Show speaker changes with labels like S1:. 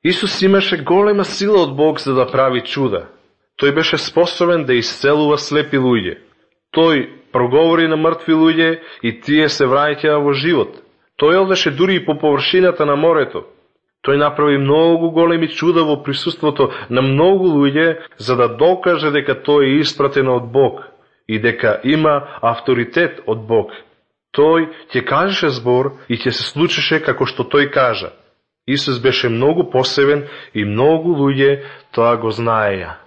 S1: Исус имаше голема сила од Бог за да прави чуда. Тој беше способен да исцелува слепи луѓе. Тој проговори на мртви луѓе и тие се враќаа во живот. Тој одеше дури и по површината на морето. Тој направи многу големи чуда во присуството на многу луѓе за да докаже дека тој е испратен од Бог и дека има авторитет од Бог. Тој ќе кажеше збор и ќе се случеше како што тој кажа. Исус беше многу посебен и многу луѓе тоа го знаеја.